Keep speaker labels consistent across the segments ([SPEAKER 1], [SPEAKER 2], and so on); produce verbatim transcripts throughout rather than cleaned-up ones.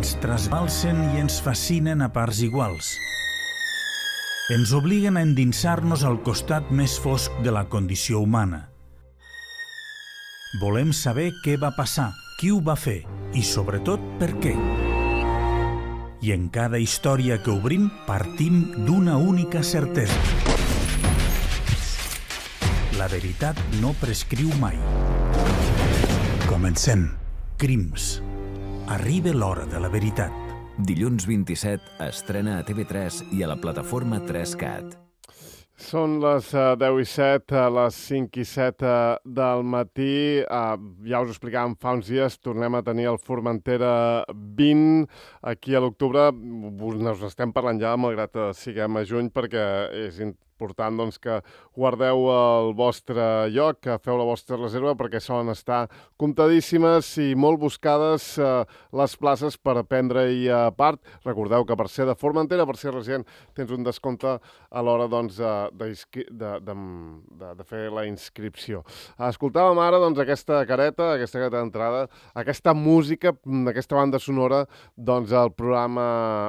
[SPEAKER 1] ens trasbalsen i ens fascinen a parts iguals. Ens obliguen a endinsar-nos al costat més fosc de la condició humana. Volem saber què va passar, qui ho va fer i, sobretot, per què. I en cada història que obrim partim d'una única certesa. La veritat no prescriu mai. Comencem. Crims. Arriba l'hora de la veritat.
[SPEAKER 2] Dilluns vint-i-set estrena a T V tres i a la plataforma tres cat.
[SPEAKER 3] Són les uh, deu i set, a les cinc i set uh, del matí. Uh, ja us ho explicàvem fa uns dies, tornem a tenir el Formentera vint aquí a l'octubre. Us estem parlant ja, malgrat que siguem a juny, perquè és important doncs, que guardeu el vostre lloc, que feu la vostra reserva, perquè solen estar comptadíssimes i molt buscades uh, les places per prendre-hi uh, part. Recordeu que per ser de Formentera, per ser resident, tens un descompte a l'hora doncs, uh, De, de, de, de, de fer la inscripció. Escoltàvem ara doncs, aquesta careta, aquesta careta d'entrada, aquesta música, aquesta banda sonora doncs, el programa,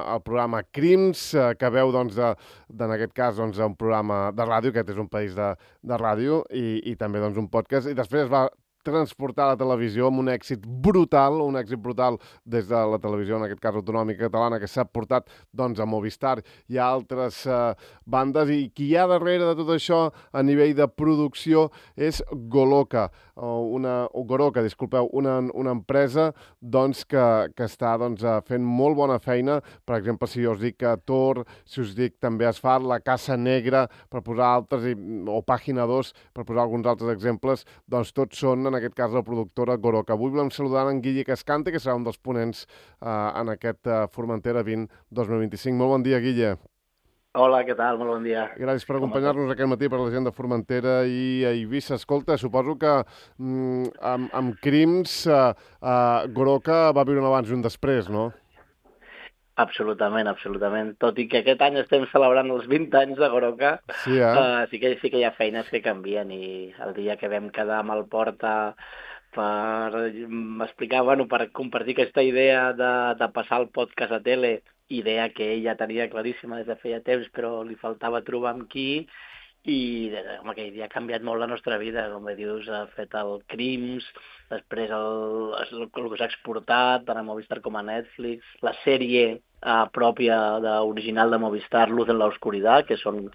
[SPEAKER 3] el programa Crims, eh, que veu doncs, de, de, en aquest cas doncs, un programa de ràdio, aquest és un país de, de ràdio, i, i també doncs, un podcast, i després es va transportar a la televisió amb un èxit brutal, un èxit brutal des de la televisió, en aquest cas autonòmica catalana, que s'ha portat doncs, a Movistar i a altres eh, bandes, i qui hi ha darrere de tot això a nivell de producció és Goloka, o una, o Goroka, disculpeu, una, una empresa doncs, que, que està doncs, fent molt bona feina. Per exemple, si jo us dic que Tor, si us dic també Asfalt, La Casa Negra, per posar altres, i, o Pàgina dos, per posar alguns altres exemples, doncs tots són en aquest cas la productora Goroka. Avui volem saludar en Guille Cascante, que serà un dels ponents eh, en aquest eh, Formentera vint dos mil vint-i-cinc. Molt bon dia, Guille.
[SPEAKER 4] Hola, què tal? Molt bon dia.
[SPEAKER 3] Gràcies per acompanyar-nos aquest matí per la gent de Formentera i a Eivissa. Escolta, suposo que mm, amb, amb Crims eh, eh, Goroka va viure un abans i un després, no?
[SPEAKER 4] Absolutament, absolutament. Tot i que aquest any estem celebrant els vint anys de Goroka,
[SPEAKER 3] sí, eh?
[SPEAKER 4] uh, sí, que, sí que hi ha feines que canvien, i el dia que vam quedar amb el Porta per explicar, bueno, per compartir aquesta idea de, de passar el podcast a tele, idea que ella tenia claríssima des de feia temps, però li faltava trobar amb qui, i home, aquell dia ha canviat molt la nostra vida, com bé dius, ha fet el Crims, després el, el, el que s'ha exportat tant a Movistar com a Netflix, la sèrie eh, pròpia de, original de Movistar, Luz en la Oscuridad, que són,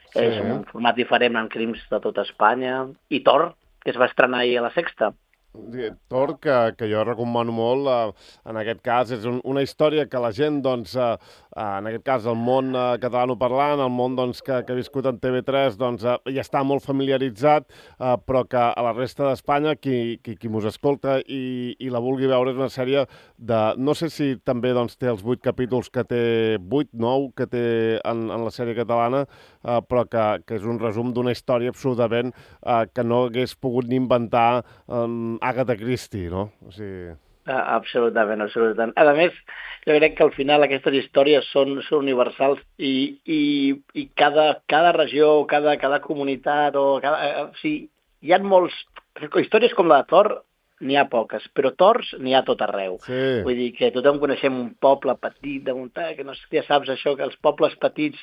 [SPEAKER 4] sí, és un format diferent en Crims de tota Espanya, i Tor, que es va estrenar ahir a la Sexta.
[SPEAKER 3] Tor, que, que jo recomano molt, eh, en aquest cas és un, una història que la gent, doncs, eh, en aquest cas el món eh, catalanoparlant, el món doncs, que, que ha viscut en T V tres, doncs, eh, ja està molt familiaritzat, eh, però que a la resta d'Espanya, qui, qui, qui mos escolta i, i la vulgui veure, és una sèrie de, no sé si també doncs, té els vuit capítols que té, vuit, nou, que té en, en la sèrie catalana, eh, però que, que és un resum d'una història absolutament eh, que no hagués pogut ni inventar eh, Agatha Christie, no? O sigui...
[SPEAKER 4] Ah, absolutament, absolutament. A més, jo crec que al final aquestes històries són, són universals i, i, i cada, cada regió, cada, cada comunitat, o cada, o sigui, hi ha molts... Històries com la de Thor n'hi ha poques, però Tors n'hi ha tot arreu.
[SPEAKER 3] Sí.
[SPEAKER 4] Vull dir que tothom coneixem un poble petit de muntanya, que no sé, ja saps això, que els pobles petits,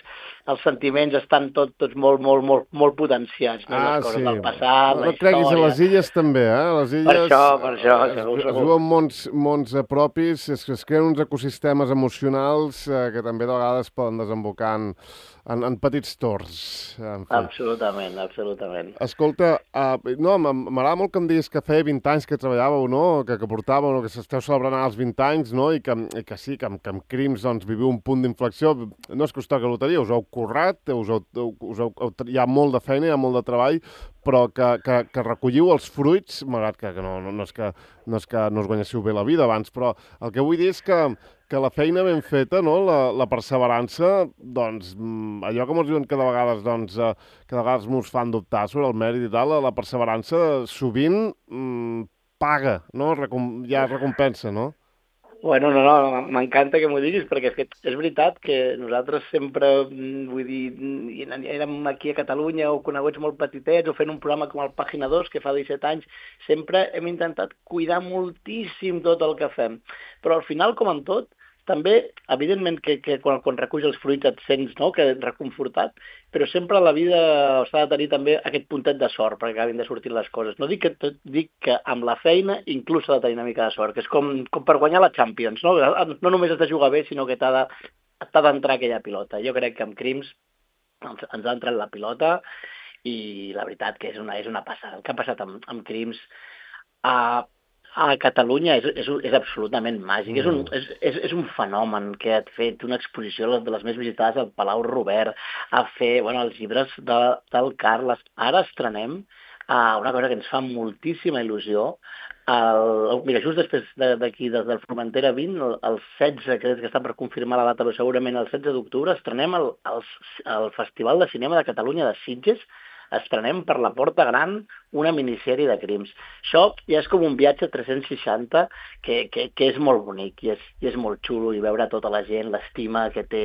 [SPEAKER 4] els sentiments estan tot, tots molt, molt, molt, molt potenciats, no?
[SPEAKER 3] Ah,
[SPEAKER 4] les coses
[SPEAKER 3] sí.
[SPEAKER 4] del passat,
[SPEAKER 3] no,
[SPEAKER 4] la
[SPEAKER 3] no creguis,
[SPEAKER 4] història.
[SPEAKER 3] a les illes també, eh? A les illes,
[SPEAKER 4] Per això, per això,
[SPEAKER 3] es,
[SPEAKER 4] segur,
[SPEAKER 3] es
[SPEAKER 4] segur.
[SPEAKER 3] viuen mons, mons eh, propis, es, es creen uns ecosistemes emocionals eh, que també de vegades poden desembocar en, en, en petits torns. En fi.
[SPEAKER 4] Absolutament, absolutament.
[SPEAKER 3] Escolta, uh, no, m'agrada molt que em diguis que feia vint anys que treballàveu, no? Que, que portàveu, no? Que s'esteu celebrant els vint anys, no? I que, i que sí, que amb, que amb Crims doncs, viviu un punt d'inflexió. No és que us toqui loteria, us heu currat, us heu, us heu, hi ha molt de feina, hi ha molt de treball, però que, que, que recolliu els fruits, malgrat que, que no, no, no, és que no és que no us guanyéssiu bé la vida abans, però el que vull dir és que, que la feina ben feta, no? la, la perseverança, doncs, allò que ens diuen que de vegades, doncs, que de vegades mos fan dubtar sobre el mèrit i tal, la, la perseverança sovint mmm, paga, no? Recom, hi ha recompensa, no?
[SPEAKER 4] Bueno, no, no, m'encanta que m'ho diguis, perquè és veritat que nosaltres sempre, vull dir, érem aquí a Catalunya o coneguts molt petitets o fent un programa com el Pàgina dos, que fa disset anys, sempre hem intentat cuidar moltíssim tot el que fem. Però al final, com en tot, també, evidentment, que, que quan, quan reculls els fruits et sents, no?, que reconfortat, però sempre a la vida s'ha de tenir també aquest puntet de sort perquè acabin de sortir les coses. No dic que, dic que amb la feina inclús s'ha de tenir una mica de sort, que és com, com per guanyar la Champions, no? No només has de jugar bé, sinó que t'ha de, t'ha d'entrar aquella pilota. Jo crec que amb Crims ens, ens ha entrat la pilota i la veritat que és una, és una passada. El que ha passat amb, amb Crims a, a Catalunya és, és, és absolutament màgic. Mm. És, un, és, és, és un fenomen que ha fet una exposició de les més visitades al Palau Robert, a fer bueno, els llibres de, del Carles. Ara estrenem uh, una cosa que ens fa moltíssima il·lusió. El, mira, just després d'aquí, des del Formentera vint, el, el setze, crec que està per confirmar la data, però segurament el setze d'octubre, estrenem el, el, el Festival de Cinema de Catalunya de Sitges, estrenem per la Porta Gran una minissèrie de Crims. Això ja és com un viatge tres-cents seixanta que, que, que és molt bonic i és, i és molt xulo, i veure tota la gent, l'estima que té,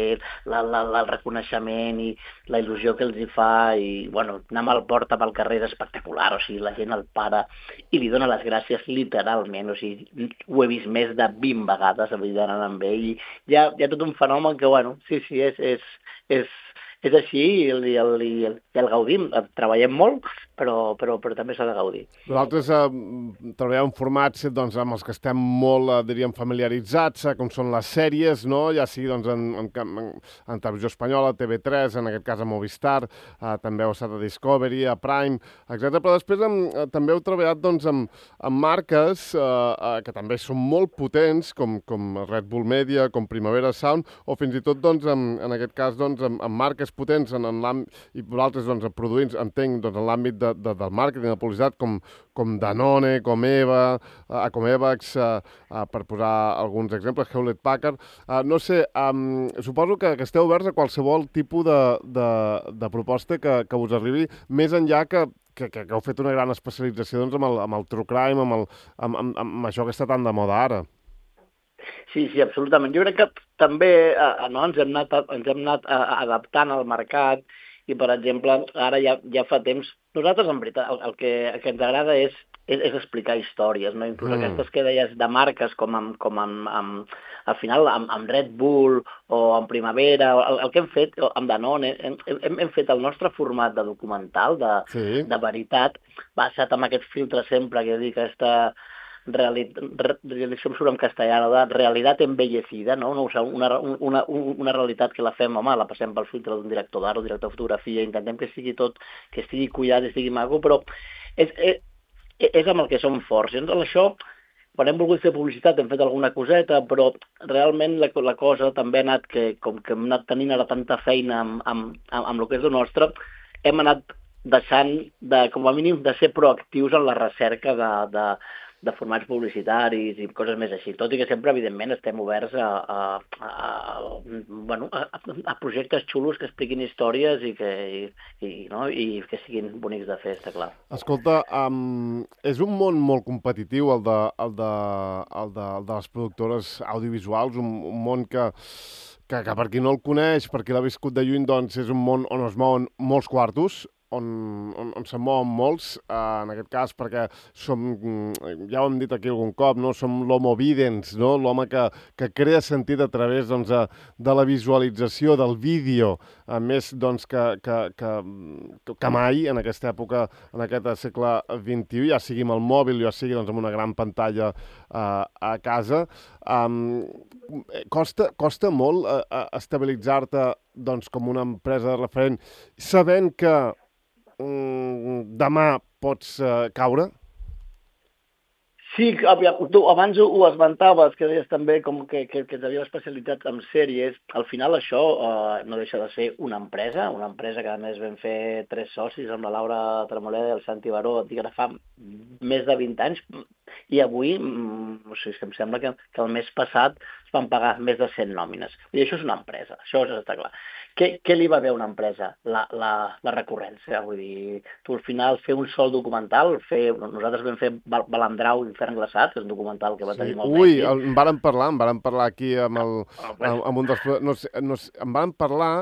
[SPEAKER 4] la, la, la, el reconeixement i la il·lusió que els hi fa, i bueno, anar amb el Porta pel carrer és espectacular, o sigui, la gent el para i li dona les gràcies literalment, o sigui, ho he vist més de vint vegades anant amb ell, i hi ha, hi ha tot un fenomen que, bueno, sí, sí, és, és, és És així i el, i el, i el, i el gaudim. Treballem molt, però, però, però també s'ha de gaudir.
[SPEAKER 3] Nosaltres eh, treballem en formats doncs, amb els que estem molt, eh, diríem, familiaritzats, eh, com són les sèries, no? Ja sigui doncs, en, en, en, en televisió espanyola, T V tres, en aquest cas a Movistar, eh, també heu estat a Discovery, a Prime, etcètera. Però després eh, també heu treballat doncs, amb, amb marques eh, eh, que també són molt potents, com, com Red Bull Media, com Primavera Sound, o fins i tot, doncs, en, en aquest cas, doncs, amb, amb marques potents en, en l'àmbit, i vosaltres doncs, produint, entenc, doncs, en l'àmbit de, de, del màrqueting, de publicitat, com, com Danone, com Eva, uh, com Evax, uh, uh, per posar alguns exemples, Hewlett Packard. Uh, no sé, um, suposo que, que esteu oberts a qualsevol tipus de, de, de proposta que, que us arribi, més enllà que Que, que, que heu fet una gran especialització doncs, amb, el, amb el true crime, amb, el, amb, amb, amb això que està tan de moda ara.
[SPEAKER 4] Sí, sí, absolutament. Jo crec que també eh, no, ens hem anat, ens hem anat eh, adaptant al mercat i, per exemple, ara ja, ja fa temps... Nosaltres, en veritat, el, el, que, el que ens agrada és, és, és explicar històries, no? Inclús mm. aquestes que deies de marques com, amb, com amb, amb, al final amb, amb Red Bull o amb Primavera, el, el que hem fet amb Danone, hem, hem, hem fet el nostre format de documental, de, sí. de veritat, basat en aquest filtre sempre que dic aquesta... realitat, això em surt en castellà, de realitat embellecida, no? Una, una, una realitat que la fem, home, la passem pel filtre d'un director d'art o director de fotografia, intentem que sigui tot, que estigui cuidat, que estigui maco, però és, és, és amb el que som forts. I en això, quan hem volgut fer publicitat, hem fet alguna coseta, però realment la, la cosa també ha anat, que com que hem anat tenint ara tanta feina amb, amb, amb, amb el que és el nostre, hem anat deixant, de, com a mínim, de ser proactius en la recerca de, de de formats publicitaris i coses més així, tot i que sempre, evidentment, estem oberts a, a, a, bueno, a, a projectes xulos que expliquin històries i que, i, i, no? I que siguin bonics de fer, està clar.
[SPEAKER 3] Escolta, um, és un món molt competitiu, el de, el de, el de, el de les productores audiovisuals, un, un món que, que, que per qui no el coneix, per qui l'ha viscut de lluny, doncs és un món on es mouen molts quartos, on, on, on se'n mouen molts, eh, en aquest cas, perquè som, ja ho hem dit aquí algun cop, no? Som l'homo videns, no? L'home que, que crea sentit a través doncs, de, de la visualització, del vídeo, a més doncs, que, que, que, que mai en aquesta època, en aquest segle vint-i-u, ja sigui amb el mòbil, ja sigui doncs, amb una gran pantalla eh, a casa. Um, costa, costa molt eh, estabilitzar-te doncs, com una empresa de referent, sabent que demà pots uh, caure?
[SPEAKER 4] Sí, tu abans ho esmentaves, que deies també com que, que, que ens havíem especialitzat en sèries. Al final això uh, no deixa de ser una empresa, una empresa que a més vam fer tres socis amb la Laura Tremoleda i el Santi Baró, dic, ara fa més de vint anys, i avui, o sigui, em sembla que, que el mes passat es van pagar més de cent nòmines. I això és una empresa, això està clar. Què, què li va bé a una empresa? La, la, la recurrència, vull dir, tu al final fer un sol documental, fer, nosaltres vam fer Balandrau, Infern glaçat, que és un documental que va tenir sí. molt
[SPEAKER 3] Ui, el, en vàrem parlar, en vàrem parlar aquí amb, el, amb, amb un dels... No sé, no sé, en vàrem parlar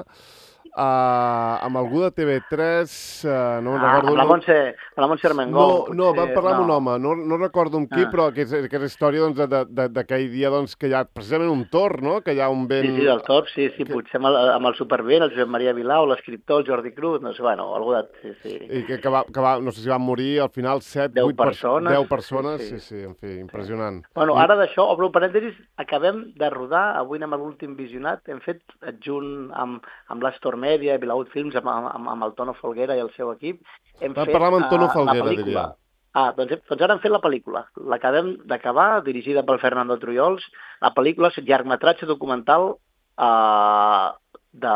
[SPEAKER 3] uh, amb algú de T V tres, uh, no me'n
[SPEAKER 4] Ah,
[SPEAKER 3] recordo...
[SPEAKER 4] amb la
[SPEAKER 3] no...
[SPEAKER 4] Montse, amb la Montse Armengol.
[SPEAKER 3] No, no, vam parlar
[SPEAKER 4] no.
[SPEAKER 3] amb un home, no, no recordo amb qui,
[SPEAKER 4] Ah.
[SPEAKER 3] però que és, que és història doncs, de- de- d'aquell dia doncs, que hi ha precisament un tor, no? Que hi ha un vent...
[SPEAKER 4] Sí, sí, del Top, sí, sí,
[SPEAKER 3] que-
[SPEAKER 4] potser amb el, amb el supervent, el Josep Maria Vilau, l'escriptor, el Jordi Cruz, no sé, bueno, algú de... Sí, sí.
[SPEAKER 3] I que, que, va, que va, no sé si van morir al final set,
[SPEAKER 4] Deu
[SPEAKER 3] vuit
[SPEAKER 4] persones.
[SPEAKER 3] deu persones, sí,
[SPEAKER 4] Sí,
[SPEAKER 3] sí,
[SPEAKER 4] sí.
[SPEAKER 3] en fi, impressionant.
[SPEAKER 4] Bueno,
[SPEAKER 3] I-
[SPEAKER 4] ara d'això, obro un parèntesis, acabem de rodar, avui anem a l'últim visionat, hem fet adjunt amb, amb l'Astor Media i Vilaut Films, amb, amb, amb el Tono Folguera i el seu equip, hem
[SPEAKER 3] Vam
[SPEAKER 4] fet
[SPEAKER 3] parlar amb en Tono
[SPEAKER 4] eh,
[SPEAKER 3] Folguera,
[SPEAKER 4] la pel·lícula.
[SPEAKER 3] diria.
[SPEAKER 4] Ah, doncs, hem- doncs ara hem fet la pel·lícula. L'acabem d'acabar, dirigida pel Fernando Trujols. La pel·lícula és un llargmetratge documental eh, de,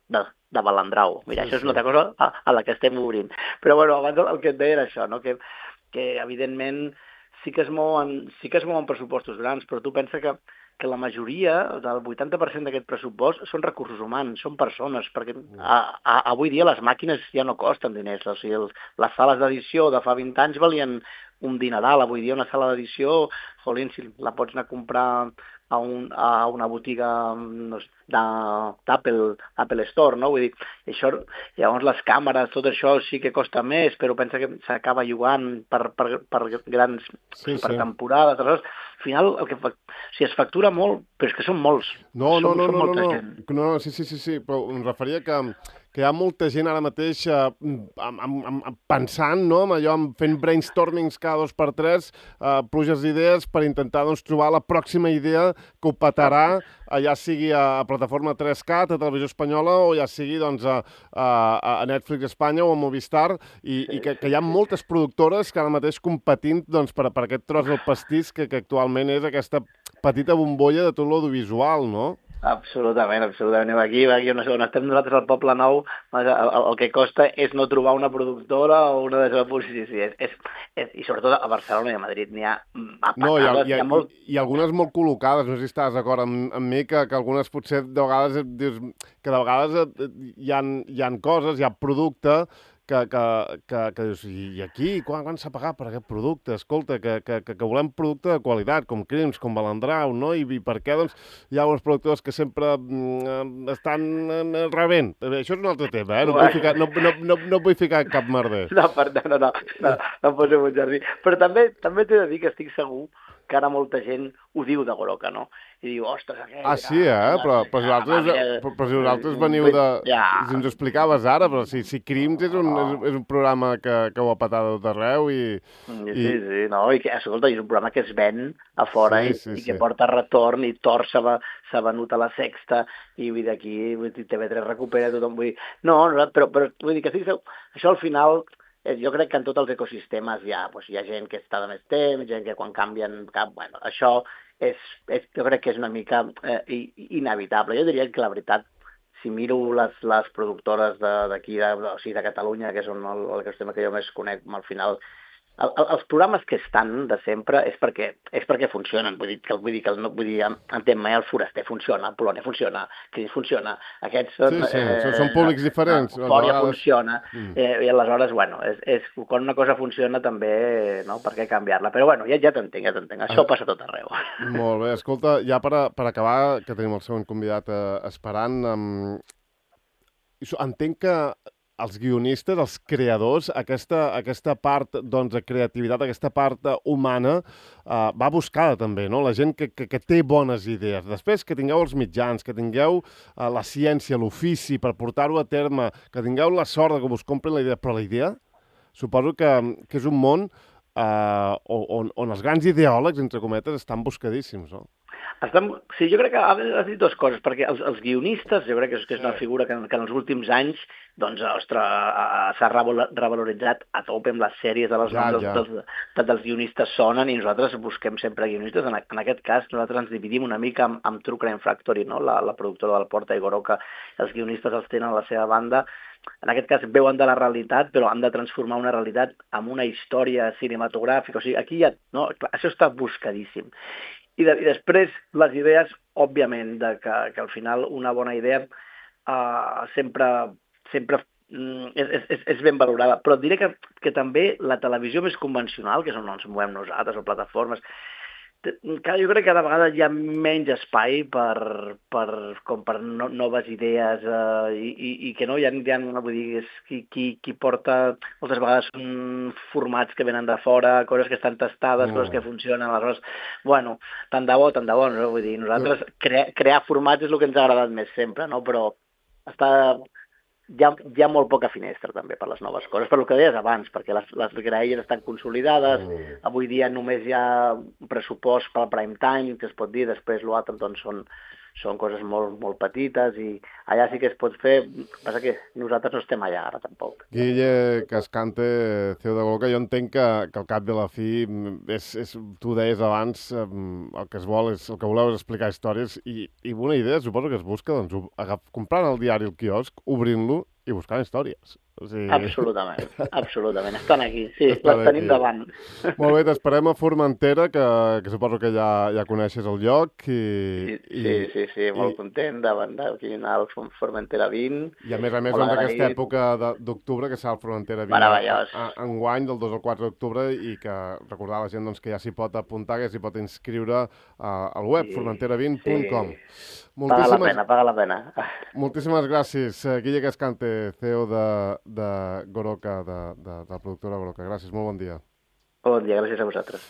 [SPEAKER 4] de, de Balandrau. Mira,
[SPEAKER 3] Sí,
[SPEAKER 4] això és
[SPEAKER 3] sí.
[SPEAKER 4] una altra cosa a, a la que estem obrint. Però bueno, abans el, el que et deia era això, no? que, que evidentment sí que es mouen, sí que es mouen pressupostos grans, però tu pensa que, que la majoria, del vuitanta per cent d'aquest pressupost, són recursos humans, són persones, perquè a, a, avui dia les màquines ja no costen diners, o sigui, el, les sales d'edició de fa vint anys valien un dineral, avui dia una sala d'edició, jolín, si la pots anar a comprar a, un, a una botiga no sé, de- d'Apple Apple Store, no? Vull dir, això, llavors les càmeres, tot això sí que costa més, però pensa que s'acaba jugant per, per, per grans,
[SPEAKER 3] Sí,
[SPEAKER 4] per
[SPEAKER 3] sí.
[SPEAKER 4] temporades, aleshores, al final el que fa, o sigui, es factura molt, però és que són molts.
[SPEAKER 3] No, no,
[SPEAKER 4] Som-
[SPEAKER 3] no,
[SPEAKER 4] som
[SPEAKER 3] no, no,
[SPEAKER 4] molta
[SPEAKER 3] no,
[SPEAKER 4] gent.
[SPEAKER 3] no, no, sí, sí, sí, sí, però em referia que, que hi ha molta gent ara mateix eh, amb, amb, amb, pensant, no?, amb allò, amb fent brainstormings cada dos per tres, eh, pluges d'idees per intentar doncs, trobar la pròxima idea que ho petarà, eh, ja sigui a, a plataforma tres cat, a Televisió Espanyola, o ja sigui doncs, a, a, a Netflix Espanya o a Movistar, i,
[SPEAKER 4] Sí,
[SPEAKER 3] i que,
[SPEAKER 4] sí,
[SPEAKER 3] que hi ha
[SPEAKER 4] sí.
[SPEAKER 3] moltes productores que ara mateix competint doncs, per, per aquest tros del pastís que, que actualment és aquesta petita bombolla de tot l'audiovisual, no?
[SPEAKER 4] Absolutament, absolutament. Aquí, aquí on, on estem nosaltres al Poble Nou, el, el, el que costa és no trobar una productora o una de les sí, sí, és, és, és, i sobretot a Barcelona i a Madrid n'hi ha a
[SPEAKER 3] No, hi ha,
[SPEAKER 4] patades,
[SPEAKER 3] hi, ha,
[SPEAKER 4] hi ha molt...
[SPEAKER 3] i algunes molt col·locades, no sé si estàs d'acord amb, amb mi, que, que algunes potser de vegades et dius que de vegades et, hi, ha, hi ha coses, hi ha producte que, que, que, que dius, i, i aquí, quan, quan s'ha pagat per aquest producte? Escolta, que, que, que, que volem producte de qualitat, com Crims, com Balandrau, no? I, i per què, doncs, hi ha uns productors que sempre mm, estan eh, rebent? Això és un altre tema, eh? No, vull ficar, no, no, no, no vull ficar cap merder.
[SPEAKER 4] No, per, no, no, no, no, no em posem un jardí. Però també també t'he de dir que estic segur que ara molta gent ho diu de Goroca, no? I diu, ostres, aquest...
[SPEAKER 3] Ah, sí, eh? Però, però, si vosaltres, però, però si vosaltres veniu de...
[SPEAKER 4] Ja.
[SPEAKER 3] Si ens ho explicaves ara, però si, si Crims és un, és, és un programa que, que ho ha patat a tot arreu i...
[SPEAKER 4] Sí, sí, sí, no, i que, escolta, és un programa que es ven a fora
[SPEAKER 3] Sí,
[SPEAKER 4] i,
[SPEAKER 3] sí,
[SPEAKER 4] i que
[SPEAKER 3] sí.
[SPEAKER 4] porta retorn i Tor s'ha va- s'ha venut a la Sexta i vull dir, aquí vull dir, T V tres recupera tothom, vull dir, no, no però, però vull dir que sí, això al final eh, jo crec que en tots els ecosistemes hi ha, doncs, hi ha gent que està de més temps, gent que quan canvien cap, bueno, això és, és, jo crec que és una mica eh, i- inevitable. Jo diria que la veritat, si miro les, les productores de- d'aquí, de, de, o sigui, de Catalunya, que és un, el, el ecosistema que jo més conec, al final el, el, els programes que estan de sempre és perquè, és perquè funcionen. Vull dir, que, vull dir, que no, vull dir, entén mai, el Foraster funciona, el Polònia funciona, Cris funciona. Aquests són...
[SPEAKER 3] Sí, sí, són- són públics diferents, a
[SPEAKER 4] Eufòria
[SPEAKER 3] vegades.
[SPEAKER 4] funciona.
[SPEAKER 3] Mm.
[SPEAKER 4] Eh, I aleshores, bueno, és, és, quan una cosa funciona també, no?, per què canviar-la? Però bueno, ja, ja t'entenc, ja t'entenc. Això
[SPEAKER 3] Ah.
[SPEAKER 4] passa a tot arreu.
[SPEAKER 3] Molt bé, escolta, ja per, a, per acabar, que tenim el següent convidat eh, esperant, um, entenc que els guionistes, els creadors, aquesta, aquesta part doncs, de creativitat, aquesta part eh, humana, eh, va buscada també, no? La gent que, que, que té bones idees. Després que tingueu els mitjans, que tingueu eh, la ciència, l'ofici per portar-ho a terme, que tingueu la sort de que us comprin la idea, però la idea suposo que, que és un món eh, on, on els grans ideòlegs, entre cometes, estan buscadíssims, no?
[SPEAKER 4] Estem, sí, jo crec que has dit dues coses, perquè els, els guionistes, jo crec que és, que és una
[SPEAKER 3] Sí.
[SPEAKER 4] figura que, que en els últims anys doncs, ostres, a- a- s'ha revalo- revaloritzat a tope amb les sèries de les
[SPEAKER 3] Ja,
[SPEAKER 4] noms
[SPEAKER 3] ja.
[SPEAKER 4] dels, dels, dels guionistes sonen i nosaltres busquem sempre guionistes. En, a- en aquest cas, nosaltres ens dividim una mica amb, amb True Crime Factory, no? la, la productora del Porta i Goroca. Els guionistes els tenen a la seva banda. En aquest cas veuen de la realitat, però han de transformar una realitat en una història cinematogràfica. O sigui, aquí ja, no? Clar, això està buscadíssim. I, de, I després les idees, òbviament, de que, que al final una bona idea uh, sempre, sempre mm, és, és, és ben valorada. Però et diré que, que també la televisió més convencional, que és on ens movem nosaltres, o plataformes, Cada, jo crec que cada vegada hi ha menys espai per, per, com per no, noves idees eh, i, i, i que no hi ha, hi ha vull dir, és qui, qui, qui porta, moltes vegades són formats que venen de fora, coses que estan tastades, mm. coses que funcionen, aleshores, bueno, tant de bo, tant de bo, no? Vull dir, nosaltres cre crear formats és el que ens ha agradat més sempre, no? Però està... Hi ha, hi ha molt poca finestra també per les noves coses, per el que deies abans, perquè les, les graelles estan consolidades, mm. avui dia només hi ha un pressupost pel prime time, que es pot dir, després l'altre doncs són, són coses molt, molt petites i allà sí que es pot fer, passa que nosaltres no estem allà ara tampoc.
[SPEAKER 3] Guille Cascante, C E O de Goloca, jo entenc que, que al cap de la fi, és, és, tu deies abans, el que es vol és, el que voleu és explicar històries i, i una idea suposo que es busca, doncs, agaf, comprant el diari al quiosc, obrint-lo i buscant històries. O sigui...
[SPEAKER 4] Absolutament, absolutament. Estan aquí, sí, Estan les tenim aquí. Davant.
[SPEAKER 3] Molt bé, t'esperem a Formentera, que, que suposo que ja, ja coneixes el lloc. I,
[SPEAKER 4] sí, i, sí, sí, sí, molt i... content davant d'aquí anar al Formentera vint.
[SPEAKER 3] I a més a més, doncs, aquesta època d'octubre, que serà el Formentera vint.
[SPEAKER 4] Meravellós.
[SPEAKER 3] Enguany, del dos al quatre d'octubre, i que recordar a la gent doncs, que ja s'hi pot apuntar, que s'hi pot inscriure uh, al web, sí, formentera vint punt com. Sí.
[SPEAKER 4] Moltíssimes... Paga la pena, paga la pena.
[SPEAKER 3] Moltíssimes gràcies, Guille Cascante, C E O de, de Goroca, de, de, de la productora Goroca. Gràcies, molt bon dia.
[SPEAKER 4] Bon dia, gràcies a vosaltres.